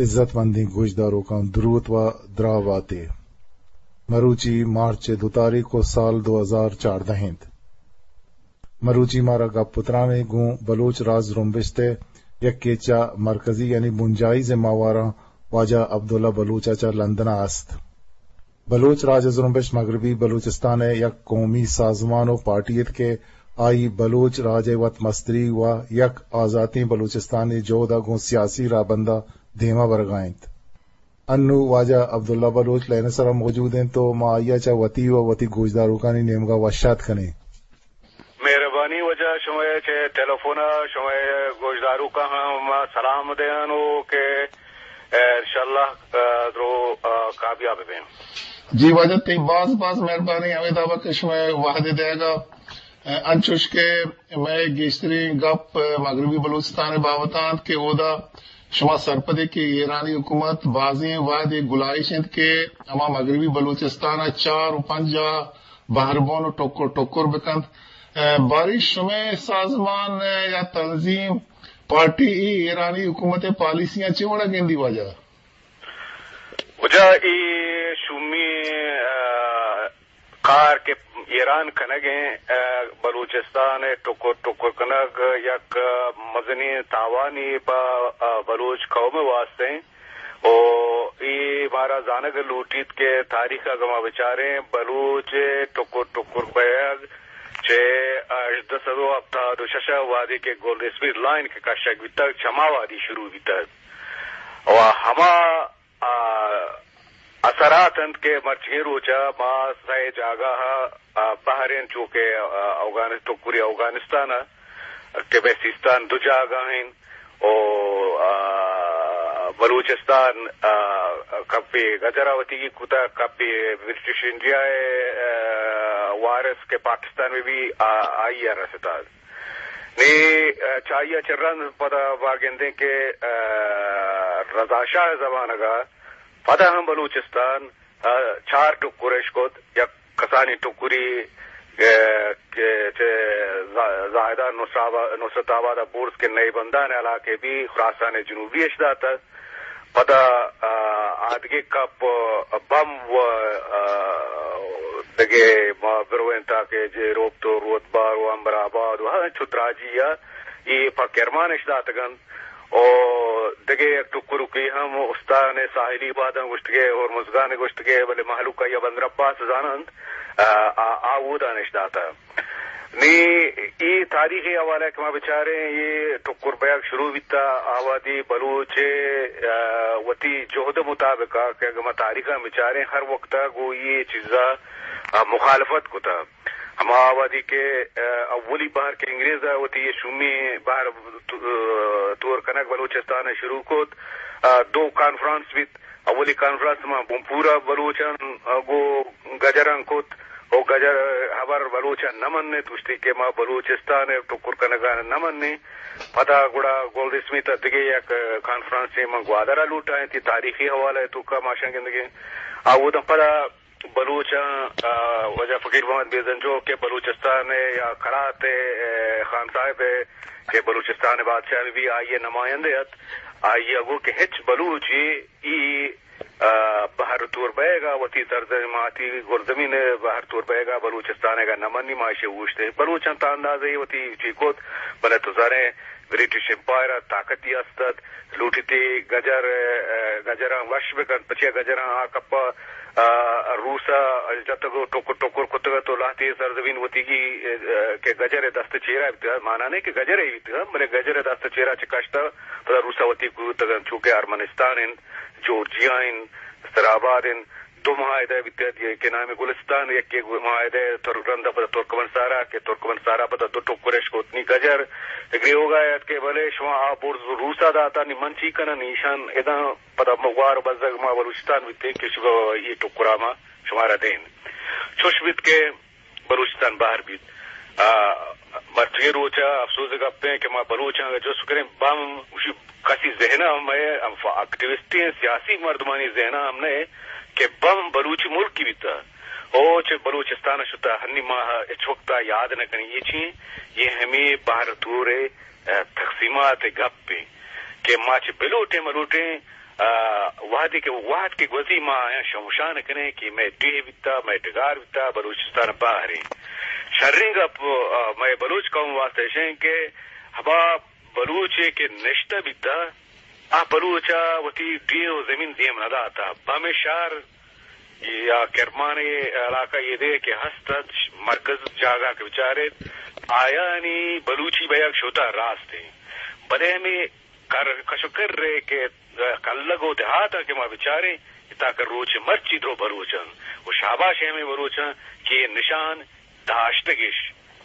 عزت مندیں گوشداروکاں دروت و دراہ باتے۔ مروچی مارچ ءِ دو تاریخ و سال دو ہزار چاردہ انت۔ مروچی مارا گپ و تران ءَ گوں بلوچ راج زرمبشت ءِ یکے چہ مرکزی یعنی بنجاہی ذمہ واراں واجہ عبداللہ بلوچ ءَ چہ لندن ءَ است۔ بلوچ راج زرمبشت مغربی بلوچستان ءِ یک قومی سازمان و پارٹی ات کہ آئی بلوچ راج ءِ وت مستری و یک آزاتیں بلوچستانے جہد ءَ گوں سیاسی راہبند ءَ دیما برگا انت۔ انو واجہ عبداللہ بلوچ لائن ءِ سرا موجود انت و ما آئی ءَ چہ وتی و وتی گوشداروکانی نیمگا وش آتک کنیں۔ مہربانی واجہ، شمئے چہ ٹیلیفون ءَ شمئے گوشداروکاں ہم سلام دیاں و کہ، اے، انشاءاللہ، اے، درو، اے، کامیاب بیں۔ جی واجہ، تئی باز باز مہربانی ہمے دابا کہ شمئے وہد دیگا۔ اے، انچوش کہ مئے گیشتریں گپ مغربی بلوچستان بابت انت کہ اودا شما سرپدے کہ ایرانی حکومت بازیں وہدے گلائیش انت کہ ہما مغربی بلوچستان ءَ چار و پنجاہ بہربان و ٹکر ٹکر بکنت۔ اے، باری شمئے سازمان، اے، یا تنظیم، پارٹی ای ایرانی حکومت ءِ پالیسیاں چے وڑا گندی واجہ؟ واجہ ای شومی، اے، کار کہ ایران کنگ ءَ، اے، بلوچستان ءِ ٹکر ٹکر کنگ یک مزنیں تاوانے پہ، اے، بلوچ قوم ءِ واسطہ انت۔ و اے مارا زانگ لوٹیت کہ تاریخ ءَ اگاں ما بچاریں، بلوچ ءِ ٹکر ٹکر بیگ چہ ہژدہ سد و ہپتاد و شش ءَ وہدے کہ گولڈ اسمتھ لائن کہ کشگ بیتگ، چما وہدی شروع بیتگ۔ و ہما، آ، اثرات انت کہ مرچیگیں روچ ءَ ما سئے جاگہ ءَ، آ، بہر انت، چو کہ، آ، اوگان-، ٹکری اوگانستان ءَ کہ مئے سیستان دو جاگہ انت۔ و، آ، بلوچستان، آ، کپے گجر ءَ وتیگی کتگ، کپے برٹش انڈیا ءِ، آ، وارث کہ پاکستان میں بھی، آ، آئی ءَ رستگ۔ نی، آ، چہ آئی ءَ چہ رند پدا ما گندیں کہ، آ، رضا شاہ ءِ زمانگ ءَ پدا ہم بلوچستان، آ، چار ٹکر اش کت، یک کسانی ٹکری، اے، کہ چہ زا-، زاہدان نصر آبا-، نصرت آباد ءَ برز کہ نئے بندان ءِ علاقے بی خراسان جنوبی اش داتگ۔ پدا، آ، آدگہ کپ بم و، آ، دگہ ما بروین تا کہ جیروپت و رودبار و امبر آباد و ہنچو دراجی ءَ اے پہ کرمان اش داتگ انت۔ و دگہ یک ٹکرکے ہم استان ساحلی باداں گوشتگے، ہرمزگان گوشتگے، بلے مہلوک آئی ءَ بندر عباس زاننت، آ، آ، آ اودان اش داتہ۔ نی اے تاریخی حوالہ کہ ما بچاریں، اے ٹکر بیگ شروع بیتا، آ وہدی بلوچ، آ، وتی جہد مطابق کہ اگہ ما تاریخ ءَ بچاریں، ہر وقت ءَ گوں اے چیزا، آ، مخالفت کتا۔ ہما وہدی کہ، آ، اولی بار کہ انگریز ءَ وتی اے شومی بہر تو-، آ، تور کنگ بلوچستان ءَ شروع کت، آ، دو کانفرنس بیت۔ اولی کانفرنس ما بنپور ءَ بلوچاں، آ، گوں گجراں کت، و گجر ہبر بلوچاں نہ منت، گوشتی کہ ما بلوچستان ءِ ٹکر کنگا نہ منیں۔ پدا گڑا گولڈ اسمتھ ءَ دگہ یک کانفرنسے من گوادر ءَ لوٹائیں، تی تاریخی حوالہ ءِ توکا ما شاں گندگیں۔ آ، اوداں پدا بلوچاں، آ، واجہ فقیر محمد بیزنجو کہ بلوچستان ءِ یا قلات ءِ، اے، خان صاحب ءِ کہ بلوچستان ءِ بادشاہ بی، آئی ءِ نمائندہ ات، آئی ءَ گو کہ ہچ بلوچے ای، آ، بہر تور بئیگ ءَ وتی سرزمین، ماتی گلزمین ءِ بہر تور بئیگ ءَ بلوچستان ءَ نہ منی، ما ایشی اوشتے۔ بلوچاں تا اندازے وتی چی کت، بلے تو زانے برٹش امپائر ءَ طاقتی است ات، لوٹیتی گجر، آ، گجراں وش بکنت، پچیا گجراں آ کپا، آ، روس ءَ جتگ و ٹکر ٹکر کتگ ات و لہتے سرزمین وتیگی، آ، کہ گجر ءِ دست چیرا بیتگ، مانا نہ کہ گجر ءِ بیتگ، بلے گجر ءِ دست چیرا چہ کشتہ پدا روس ءَ وتی گوتگ انت، چو کہ ارمنستان انت، جورجیا انت، مستر آباد انت، دو معاہدہ بیتگ ات، یک کہ نام گلستان، یک کہ معاہدہ تر-، رند ءَ پدا ترکمن سارا، کہ ترکمن سارا پدا دو ٹکر اش کت، نی گجر گریوگا ات کہ بلے شما آ برز روس ءَ داتا، نی من چی کناں، نی ایشان اداں پدا ما وار بزگ ما بلوچستان بیتیں کہ شما اے ٹکرا ما شمارا دیں۔ چوش بیت کہ بلوچستان بہر بیت۔ آ، مرچی روچ ءَ افسوز ءِ گپ ایں کہ ما بلوچاں اگہ جست کنیں، بم گوشی کسی ذہن ءَ ہم اے، ہم فا-، اکٹیوسٹیں سیاسی مردمانی ذہن ءَ ہم نہ اے کہ بم بلوچی ملکی بیتہ۔ او چہ بلوچستان ءَ شتہ، ہنی ما ہچ وقت ءَ یاد نہ کنیں۔ یہ چی ایں؟ یہ ہمے بہر تور ءِ، آ، تقسیمات ءِ گپ ایں کہ ما چہ بلوٹیں ملوٹیں، آ، وہدے کہ وہد کہ گوزی ما آیاں شمشان کنیں کہ مئے ڈیھ بیتا، مئے ڈگار بیتا، بلوچستان بہریں۔ شریں گپ، آ، مئے بلوچ قوم واسطہ اشیں کہ ہما بلوچے کہ نشتہ بیتا، آ بلوچ ء وتی ڈیھ و زمین دیم نہ داتا۔ پہ ہمے شہر یا کرمان علاقہ یہ دے کہ ہست ات، مرکز جاگہ کہ بچارت، آیانی بلوچی بیگ شوتا راست ہیں۔ بلے ہمیں کر، کش و کر رہے کہ کلگ و دیہات کہ ما بچاریں، تاکہ روچ مرچی درو بلوچن و شاباش ہمیں بلوچن کہ یہ نشان داشتگش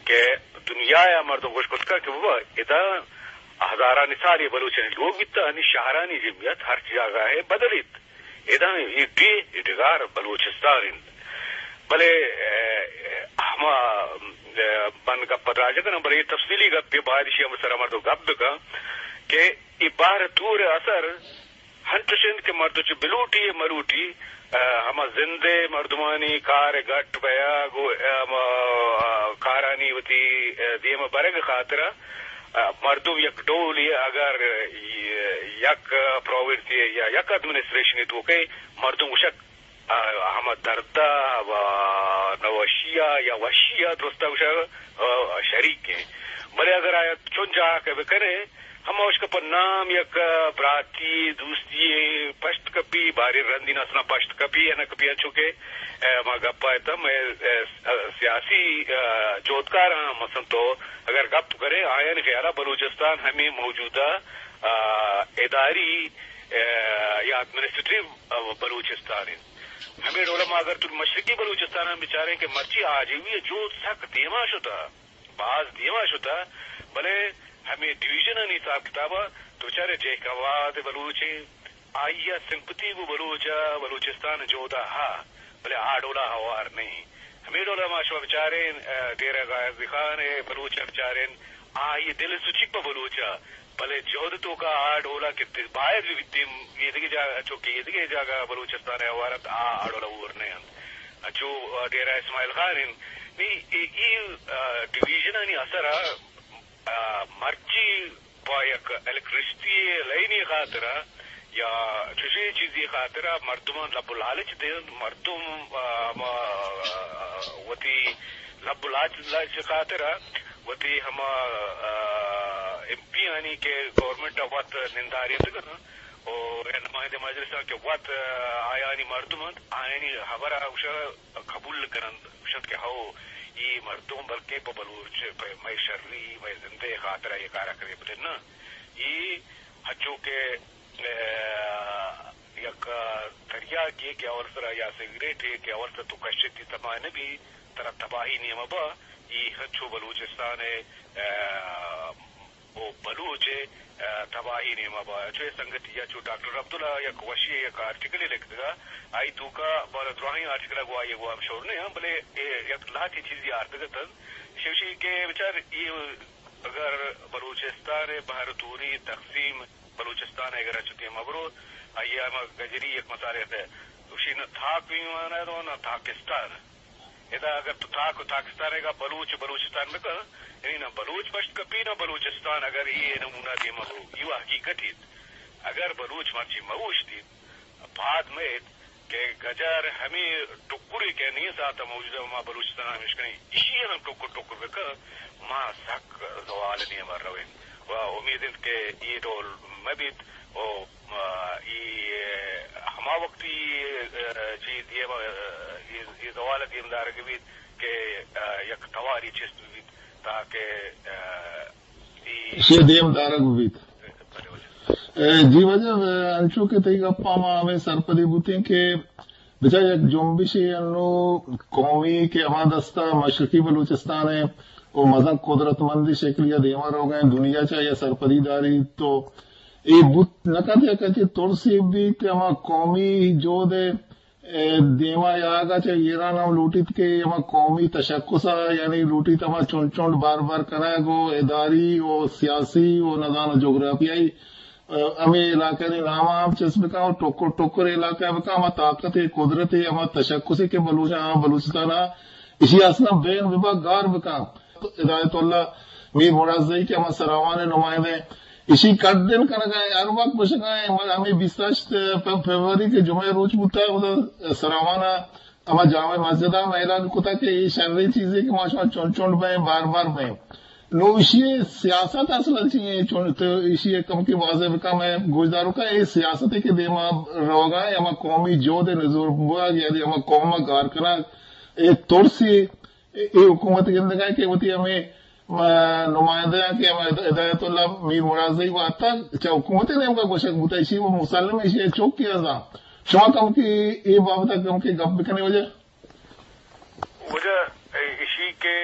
کہ دنیا ء مردم گوش کتگ کہ بابا، ادا ہزارانی سال یہ بلوچانی لوگ بیتا، انی شہرانی جمعیت ہر جاگہ ہے بدلیت۔ ادا یہ ڈیھ، یہ ڈگار بلوچستان انت۔ بلے، اے، ہما، اے، من گپ دراج کناں، بلے یہ تفصیلی گپ یہ باید شی ہم سر مردم گپ بکن کہ یہ بہر تور اثر ہنچش انت کہ مردم چہ بلوٹی ء مروٹی، ء، ہما زند ء مردمانی کار ء گٹ بیگ و، ء، ہما، ء، کارانی وتی، ء، دیم ء برگ ء خاطر ء، ء، مردم یک ڈولے اگر، ء، یک پراونس ء یا یک ایڈمنسٹریشن ء توک ء مردم گوشگ، ء، ہما درد ء و نوشی ء یا وشی ء درست ء گوشگ، ء، شریک انت۔ بلے اگر آیا چون جاہ کہ بکنے، ہما اشکا پہ نام یک براتی، دوستی پشت کپی، باریں رندی نسلاں پشت کپی یا نہ کپی، انچو کہ، اے، ما گپا اتم، اے، اے، سیاسی، اے، جہدکاراں مثلاً تو اگر گپ کرے، آیانی خیالا بلوچستان ہمیں موجودہ، اے، اداری، اے، یا ایڈمنسٹریٹو، اے، بلوچستان انت۔ ہمیں ڈولا ما اگر تو مشرقی بلوچستان ہم بچاریں کہ مرچی آجوئی جہد سک دیما شتا۔ باز دیما شتا، بلے ہمے ڈویژنانی حساب کتابا تو بچارے جیک آباد بلوچے، آئی ء سمپتی گوں بلوچ ء بلوچستان جہد ء ہا، بلے آ ڈولا ہوار نہیں۔ ہمے ڈولا ما شما بچاریں، ء، ڈیرہ غازی خان ء بلوچ ء بچاریں، آئی دل سوچی پہ بلوچ ء، بلے جہد توکا آ ڈولا کہ باید بہ بیت، ایدگہ جاگہ، چونکہ ایدگہ جاگہ بلوچستان ء ہوار انت، آ، آ ڈولا ہور نہ انت۔ انچو ڈیرہ اسماعیل خان انت۔ نی اے، اے، آ، ڈویژنانی اثر ء، آ، مرچی پہ یک الیکٹریسٹی لائنی خاطر ء یا چشیں چیزی خاطر ء مردمان لب و لالچ دینت، مردم، آ، ہما، آ، وتی لب و لالچ، لالچ خاطر ء وتی ہما، آ، ایم پی آنی کہ گورنمنٹ ء وت نندارینتگ انت، و یا نمائندہ مجلس آں کہ وت، آ، آیانی مردم انت، آیانی ہبر ء گوشگ قبول کننت، گوشنت کہ ہو، اے مردم بلکیں پہ بلوچ، پہ مئے شری، مئے زندے خاطر ء اے کار ء کرے، بلے نہ، اے ہچو کہ، آ، یک تریاکے کہ اول سرا یا سگریٹے کہ اول سرا تو کشتی تباہ نہ بی، ترا تباہی نیمہ با، اے ہچو بلوچستان ء، آ، و بلوچ ء، آ، تباہی نیما با۔ چو اے سنگتی یا چو ڈاکٹر عبداللہ یک وشی یک آرٹیکلے لکھتگا، آئی توکا بارا دراہیں آرٹیکل گوا یہ گوا مشہور نہیں ہم، بلے اے یک لہتی چیزی آرتگتن۔ شوشی کہ بچار اے اگر بلوچستان بہر توری تقسیم بلوچستان اگر اچ دیما برو، آئی ہم گجری یک مسالے تے، گوشی نہ تاک بھی مانا دو نہ تاکستان۔ ادا اگر تو تاک و تاکستان ء بلوچ بلوچستان بکن، یعنی نہ بلوچ پشت کپی نہ بلوچستان، اگر اے نمونہ دیما برو، یہ حقیقت ایت۔ اگر بلوچ مرچی موشتیت، پاد میت کہ گجر ہمیں ٹکرے کہ نی ساعت موجودہ ما بلوچستان ہمیش کنیں، اسی ہم ٹکر ٹکر بکن، ما سک زوال نیما رویں۔ و امید انت کہ اے ڈول مبیت و، آ، اے ہما وقتی، آ، چی دیم، آ، اے، اے زوال دیم دارگ بیت کہ، آ، یک تواری چست بیت تاکہ، آ، اے ایشی دیم دارگ بیت۔ بلے، بلے۔ اے، جی واجہ، اے، انچو کہ تئی گپا ما ہمیں سرپدی بوتیں کہ بچار یک جنبشے انو قومی کہ ہما دستا مشرقی بلوچستان ہے، و مزن قدرتمندی شکلی ء دیما روگا ہیں، دنیا چا یا سرپدی داری تو اے بوت نہ کنت، یا کچے ترسی بیت کہ ہما قومی جہد ء، اے، دیما یاگا چہ ایران ہم لوٹیت کہ ہما قومی تشخص ء، یعنی لوٹیت ہما چنڈ چنڈ بار بار کنگ و اداری و سیاسی و نزانو جغرافیائی، اے، ہمے علاقہ نی نام ہم چست بکن و ٹکر ٹکر علاقہ بکن، ہما طاقت ء قدرت ء ہما تشخص کہ بلوچ، ہاں، بلوچستان ء اشی اصلا بین ببا گار بکن۔ ہدایت اللہ میر مراد زئی کہ ہما سراوان ء نمائندہ ایشی کڈن کنگا ایں، ہر وقت گوشگا ایں، ہمیں بیست ہشت فروری کہ جمعہ روچ بوتا، اودا سراوان ء ہما جامع مسجد ء اعلان کتا کہ اے شریں چیزے کہ ما شما چنڈ چنڈ بئیں، بار بار بئیں۔ نو ایشی سیاست اصل چی ایں؟ چون تو ایشی کم کہ واضح بکا، میں گوشداروکا اے سیاستے کہ دیما روگا ایں، ہما قومی جہد نزور بوگ، یعنی ہما قوم گار کنگ، اے ترسی اے، اے حکومت گندگ ء کہ وتی ہمے، آ، نمائندہ کہ ہمے ہدایت اللہ میر مراد زئی واتگ چہ حکومت نیمگا گوشگ بوتا، ایشی و مسلم ایشی چوکی ازاں۔ شما کم کہ اے بابت کم کہ گپ بکنے وجہ؟ وجہ ایشی کہ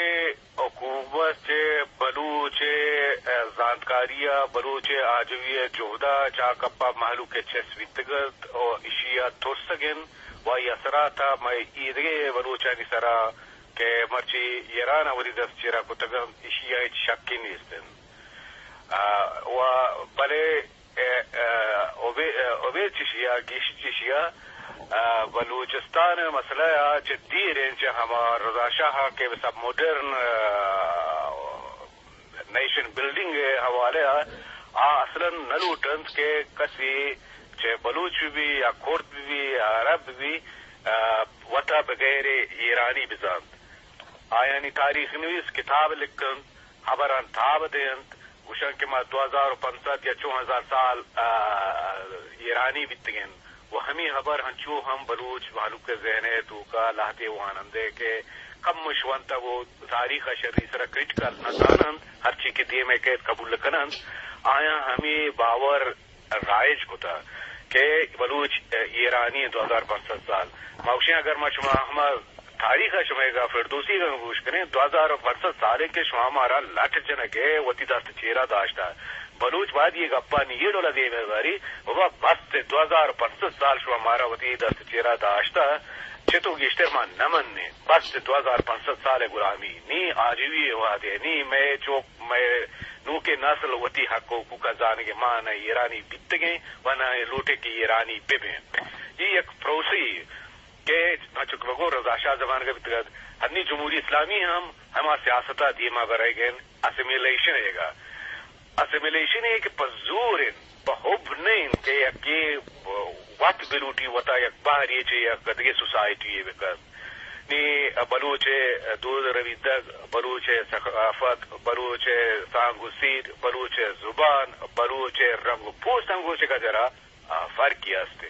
حکومت چہ بلوچ ء زانتکاری ء بلوچ ء آجوئی ء جہد ء چاکپ ء مہلوک ء چست بیتگ ات و ایشی ء ترسگ انت و آئی اثرات ء مئے ایدگہ بلوچانی سرا کہ مرچی ایران ء وتی دست چیرا کتگ انت، ایشی ء ہچ شکے نیست انت۔ آ، و بلے، اے، اے، ابید، اے، ابید چشی ء، گیش چشی ء، آ، بلوچستان ء مسئلہ ء چہ دیر انت، چہ ہما رضا شاہ ء کہ بس ماڈرن، آ، نیشن بلڈنگ ء حوالہ ء آ اصلاً نہ لوٹ انت کہ کسی چہ بلوچ بہ بی یا کرد بہ بی یا عرب بہ بی، آ، وتا بغیر ایرانی بزانت۔ آیانی تاریخ نویس کتاب لکھ انت، ہبران تاب دینت، گوشن کہ ما دو ہزار و پنچ سد یا چو ہزار سال، آ، ایرانی بیتگن۔ و ہمے ہبر ہنچو ہم بلوچ مہلوک ء ذہن ء توکا لہتے وانندہ کہ کمش ونتگ و تاریخ ء شری سرا کریٹیکل نہ زاننت، ہرچی کہ دیم ء کیت قبول نہ کننت، آیاں ہمے باور رائج کتگ کہ بلوچ ایرانی انت دو ہزار پنچ سد سال۔ ما گوشیں اگر ما شما ہما تاریخ ء شمئیگا فردوسی ء گوش کنیں، دو ہزار پنچ سد سالے کہ شما مارا لٹ جنگ ء وتی دست چیرا داشتہ۔ بلوچ باید یہ گپانی یہ ڈولا دیم ء باری، بابا بس دو ہزار پنچ سد سال شما مارا وتی دست چیرا داشتہ، چہ تو گیشتر ما نہ منیں۔ بس دو ہزار پنچ سد سال غلامی، نی آجوئی وہدے، نی مئے چوک، مئے نوکیں نسل وتی حق و حقوق ء زانگ ء ما نہ ایرانی بیتگیں و نہ لوٹیں کہ ایرانی بہ بیں۔ یہ یک پروسے کہ انچو کہ بگو رضا شاہ زمانگ ء بیتگ ات، ہنی جمہوری اسلامی ہم ہما سیاست ء دیما برگ ء انت، اسیمیلیشن ء گا۔ اسیمیلیشن ء کہ پہ زور انت، پہ حب نہ انت کہ یکے وت بلوٹی وتا یک بہرے چہ یک دگہ سوسائٹی ء بکن۔ نی بلوچ ء دود ء ربیدگ، بلوچ ء ثقافت، بلوچ ء سانگ و سیر، بلوچ ء زبان، بلوچ ء رنگ و پوست انگوش ء گجرا آ، فرقی است۔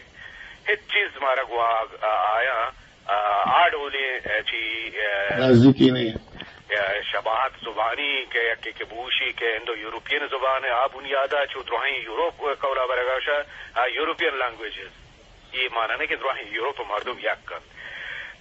ہچ چیز مارا گوں آ، آ، آیاں، آ، آ ڈولیں، آ، چی، آ، نزدیکی نہیں۔ آ، شباہت زبانی کہ یکے کہ بوشی کہ انڈو یورپین زبان ء آ بنیاد ء چو درہیں یورپ قولا برگا شہ، آ، یورپین لینگویجز۔ یہ معنی نہیں کہ درہیں یورپ مردم یک کن۔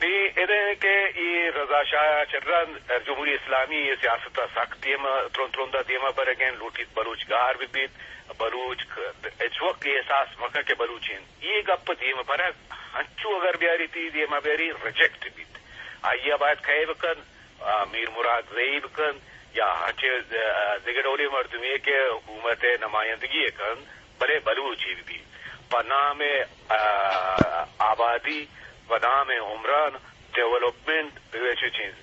نی ادے کہ یہ رضا شاہ چہ رند جمہوری اسلامی یہ سیاست ء سخت دیما، ترند ترند ء دیما برگین، لوٹیت بلوچ گار بہ بیت، بلوچ ک-، ہچ وقت یہ احساس مکن کہ بلوچ انت۔ یہ گپ دیم برگ ہنچو اگر بیاری تی دیما بیاری ریجیکٹ بیت۔ آئیا باید کئے بکن، آ، میر مراد زئی بکن یا ہنچے، آ، دگہ ڈولیں مردمے کہ حکومت نمائندگی کن، بلے بلوچی بہ بیت۔ پہ نام، آ، آبادی، پہ نام عمران، ڈیولپمنٹ، بگوش چیز۔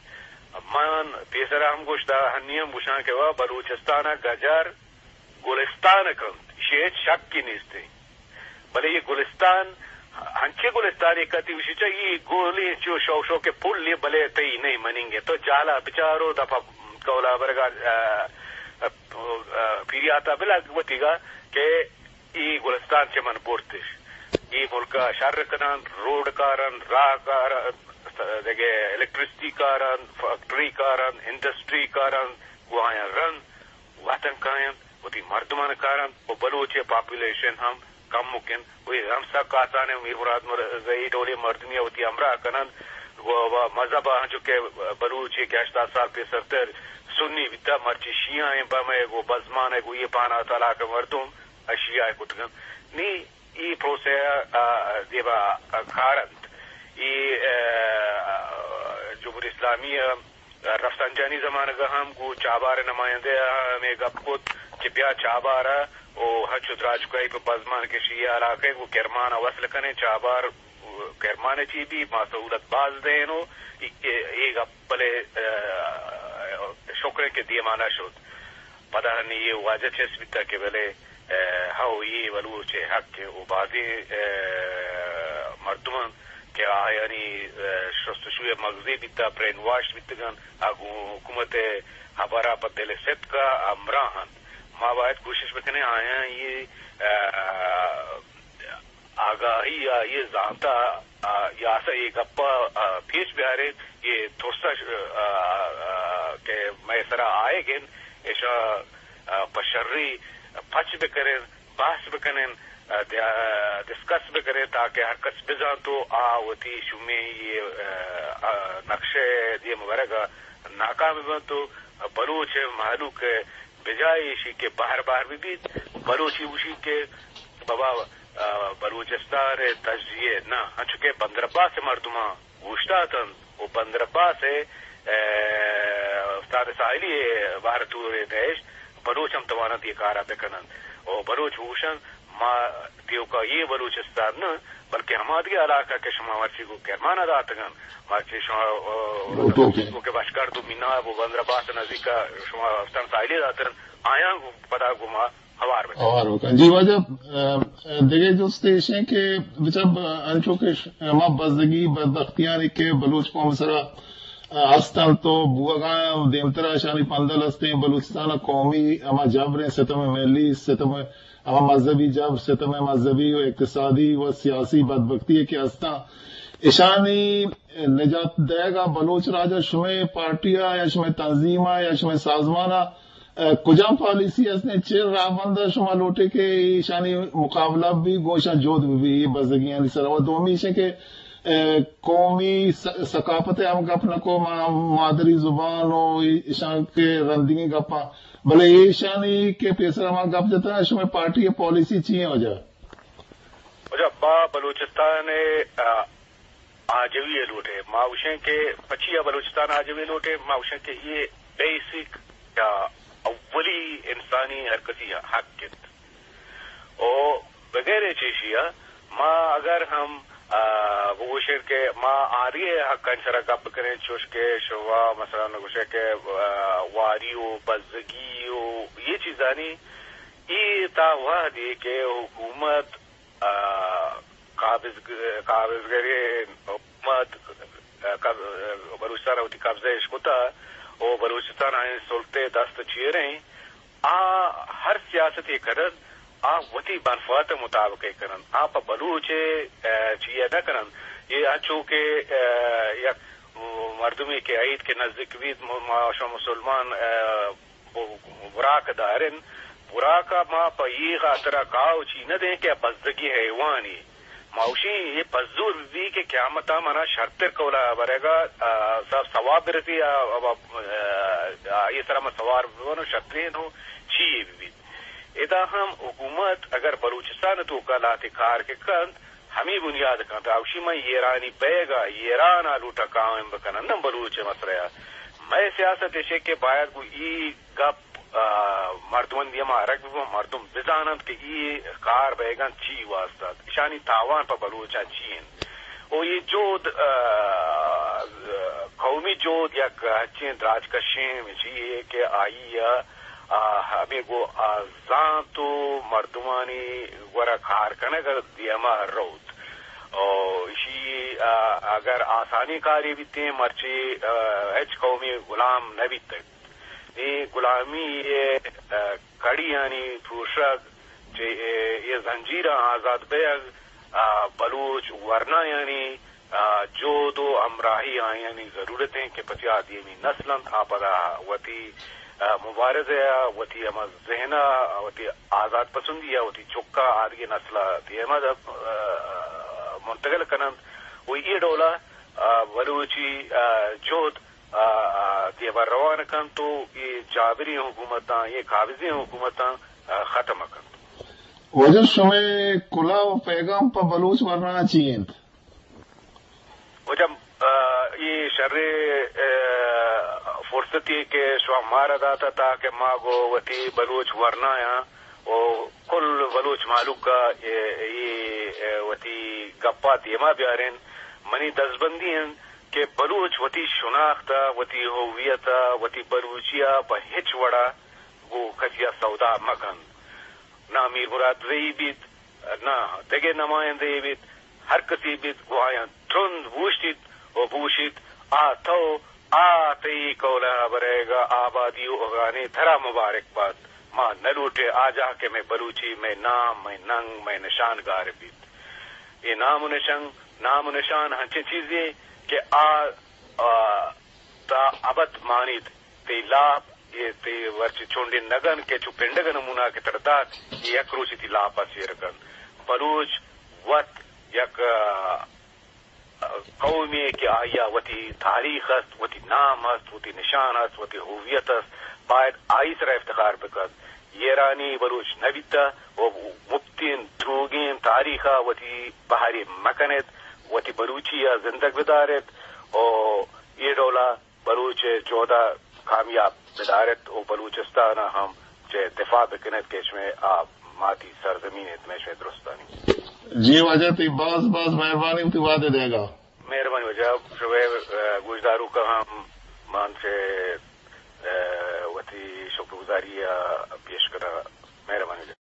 من پیسرا ہم گوشتا، ہنی ہم گوشاں کہ وا بلوچستان ء گجر گلستان کنت، ایشی ہچ شکی نیست۔ بلے یہ گلستان، ہنچے گلستان ایک کتی وشی چا، یہ گولی چو شو شو کے پل یہ بلے تئی نہیں مننگے۔ تو جالا بچارو دفعہ کولا برگا، آ، آ، آ، پیریاتا بلا وتیگا کہ ای گلستان چہ من برتش۔ ای ملک ء شر کنن، روڈ کارن، راہ کارن، دگہ الیکٹریسٹی کارن، فیکٹری کارن، انڈسٹری کارن، گوں آیاں رند وطن کاینت، وتی مردمان کارنت و بلوچ ء پاپولیشن ہم کمک انت۔ و اے ہم سک آسان انت، میر مراد مر-، زئی ڈولیں مردمی ء وتی ہمراہ کننت و، و مذہب ء انچو کہ بلوچ ء کہ ہشتاد سال پیسرتر سنی بیتا، مرچی شیعہ انت، پہ مئے گوں بزمان ء گوں یہ پانا طلاق مردم اشیاء کتگ انت۔ نی ای پروسہ ء دیما کار انت۔ ای، ء، جمہوری اسلامی ء رفسنجانی زمانگ ء ہم گوں چابار ء نمائندہ ء ہمے گپ کت کہ بیا چابار ء او ہنچو دراجکائی پہ بزمان کہ شیعہ علاقہ ء گوں کرمان ء وصل کنیں۔ چابار کرمان ء چی بی ما سہولت باز دئین و ای، ای گپ بلے، ء، شکر انت کہ دیما نہ شت۔ پدا ہنی یہ واجہ چست بیتا کہ بلے، اه، ہو یہ بلوچ حق و بازیں، اه، مردمان کہ آیانی، اه، شستشوی مغزی بیتا، برین واش بیتگن، آ گوں حکومت ہبرا پہ دل صدق ہمراہ انت۔ ما باید کوشش بکنیں آیاں یہ، اه، آگاہی ء یہ زانت ء، آ، یا سا یہ گپ ء، آ، پیش بیاریں، یہ ترس ء، آ، آ، کہ مئے سرا آئیگ انت، ایشاں، آ، پہ شری پچ بکنیں، بحث بکنیں، آ، دیا-، ڈسکس بکنیں تاکہ ہر کس بزانت و آ وتی شومیں یہ، آ، آ، نقشہ دیم ورگ ء ناکام بنت و بلوچ مہلوک بجائے ایشی کہ بہر بہر بہ بیت، بلوچی گوشیت کہ بابا، آ، بلوچستان ء تجزیہ نہ، انچو کہ بندر عباس ء مردماں اوشتاتنت و بندر عباس ء، آ، استاد ساحلی ء بہر تور ء نہشت، بلوچ ہم تواننت یہ کارا بکننت و بلوچ گوشنت ما تیوکا یہ بلوچستان نہ، بلکہ ہما دگہ علاقہ کہ شما مرچی گوں کرمانا داتگن، مرچی شما، آ، لوٹو کہ۔ کہ بشکرد و میناب و بندر عباس نزیکا شما استان ساحلی داتن، آیاں گوں پدا گوں ما ہوار بکن۔ ہوار بکن۔ جی واجہ، آ، آ، دگہ جست ایش ہیں کہ بچا ب-، انچو کہ ش-، ہما بزگی بدبختیانی کہ بلوچ قوم سرا، آ، ہستن تو بوگا دیمترا شانی پندل ہستیں بلوچستان قومی ہما جبریں ستم ملی ستم ہما مذہبی جبر، ستم مذہبی و اقتصادی و سیاسی بدبختی کہ ہستاں، اشانی نجات دئیگ ء بلوچ راج ء شمئے پارٹی ء یا شمئے تنظیم ء یا شمئے سازمان ء، ء، کجام پالیسی ہستیں، چے راہبند ء شما لوٹے کہ ایشانی مقابلہ بھی گوں ایشاں جہد بھی، اے بزگیانی سر ء؟ و دومی ایش کہ، ء، قومی س-، ثقافت ء ہم گپ نہ کو، ما-، مادری زبان و ایشاں کہ رندگیں گپاں بلے ایشانی کہ پیسر ہما گپ جتا، شمئے پارٹی ء پالیسی چی ہیں وجہ؟ وجہ ما بلوچستان ء، آ، آجوی ء لوٹے۔ ما گوشیں کہ پچی ء بلوچستان آجوی لوٹے، ما گوشیں کہ یہ بیسک یا اولی انسانی ہر کسی حق انت۔ او بغیر چیشی ء ما اگر ہم، آ، بگوشیں کہ ما آری ء حقانی سرا گپ کنیں، چوش کہ شما مثلاً گوشے کہ، آ، واری و بزگی و یہ چیزانی، ای تا وہدی کہ حکومت، آ، قابض، قابضگری حکومت، آ، قب-، بلوچستان وتی قبضہ اش کتا و بلوچستان آئین سلطے دست چیریں، آ ہر سیاستے کنن، آ وتی منفعت مطابق کنن، آ پہ بلوچ، ء، چیئے نہ کنن۔ یہ انچو کہ، ء، یک مردمی کہ عید کے نزدیک بیت، م-، ما شما مسلمان، ء، ب-، براک دارن، براک ما پہ یہ خاطرہ کاو چی نہ دیں کہ بزگی حیوانی۔ ما اوشی یہ پزور بی کہ قیامت منا شرتر کولا برگا، آ، سب ثواب برسی، آ، آ، آ، آ، یہ سرا ما سوار ببن و شرترین ہو چی یہ بی۔ ادا ہم حکومت اگر بلوچستان توکا لاتے کار کے کنت، ہمی بنیاد کنت، اوشی من ایرانی بیگا، ایران آ لوٹا قائم بکنن، نہ بلوچ مسئلہ۔ مئے سیاست ایشے کہ باید گو ای گپ، آ، مردمانی دیما ارگ ببن، مردم بزاننت کہ ای کار بیگن چی واسطہ، اشانی تاوان پہ بلوچاں چی انت۔ و یہ جود، آ، قومی جود یک ہچیں دراج کشیں چی ہے کہ آئی، آ، ہمیں گو، آ، زانت و مردمانی گورا کار کنگ دیما روت۔ او ایشی، آ، اگر آسانی کاری بیتیں، مرچی، آ، ہچ قومی غلام نہ بیتگ۔ اے غلامی ء، آ، کڑیانی پروشگ، چہ اے، اے زنجیراں آزاد بیگ، آ، بلوچ ورنایانی، آ، جہد و ہمراہی آیانی ضرورت انت کہ پرچا آ دیمی نسل انت، آ پدا وتی، آ، مبارزہ ء، وتی ہما ذہن ء، وتی آزاد پسندی ء، وتی چکا آدگہ نسل ء دیما د-، آ، منتقل کننت و اے ڈولا، آ، بلوچی، آ، جہد، آ، آ، دیما روان کنت و اے جابری حکومتاں، اے قابضی حکومتاں، آ، ختم کنت۔ واجہ شمئے کلوہ و پیغام پہ بلوچ ورنا چی انت؟ واجہ، آ، اے شریں، آ، فرصتے کہ شما مارا داتا تاکہ ما گو وتی بلوچ ورنایاں و کل بلوچ مہلوک ء اے، اے، اے وتی گپا دیما بیارین۔ منی دزبندی انت کہ بلوچ وتی شناخت ء، وتی ہویت ء، وتی بلوچی ء پہ ہچ وڑا گوں کسی ءَ سودا مہ کن۔ نہ میر مراد زئی بیت، نہ دگہ نمائندہ یے بیت، ہر کسی بیت گوں آیاں ترند بوشتیت و بوشیت، آ تو، آ تئی کولہ ءَ برئیگ ءَ آبادی و اگانے ترا مبارک بات۔ ما نہ لوٹیں آ جاہ کہ مئے بلوچی، مئے نام، مئے ننگ، مئے نشان گار بیت۔ اے نام و نشنگ، نام و نشان ہنچیں چیزے کہ آ، آ، تا ابد مانیت۔ تئی لاپ، اے تئی ورچی چونڈیں نگن کہ چو پنڈگ ءِ نمونہ کہ ترا دات، اے یک روچے تئی لاپ ءَ سیر کنت۔ بلوچ وت یک، آ، قومے کہ آئی ءَ وتی تاریخ است، وتی نام است، وتی نشان است، وتی ہویت است، باید آئی سرا افتخار بکنت۔ ایرانی بلوچ نہ بیتہ و مپتیں دروگیں تاریخ ءَ وتی بہرے مکنیت، وتی بلوچی ءَ زندگ بداریت و اے ڈول ءَ بلوچ ءِ جہد ءَ کامیاب بداریت و بلوچستان ءَ ہم چہ دفاع بکنیت کہ شمئے آ ماتی سرزمین انت، مئے شمئے درستانی۔ جی واجہ، تئی باز باز مہربانی وتی وہد ءِ دیگ ءَ۔ مہربانی واجہ، شمئے، آ، گوشداروکاں ہم من چہ، آ، وتی شکر گزاری ءَ پیش کناں۔ مہربانی واجہ۔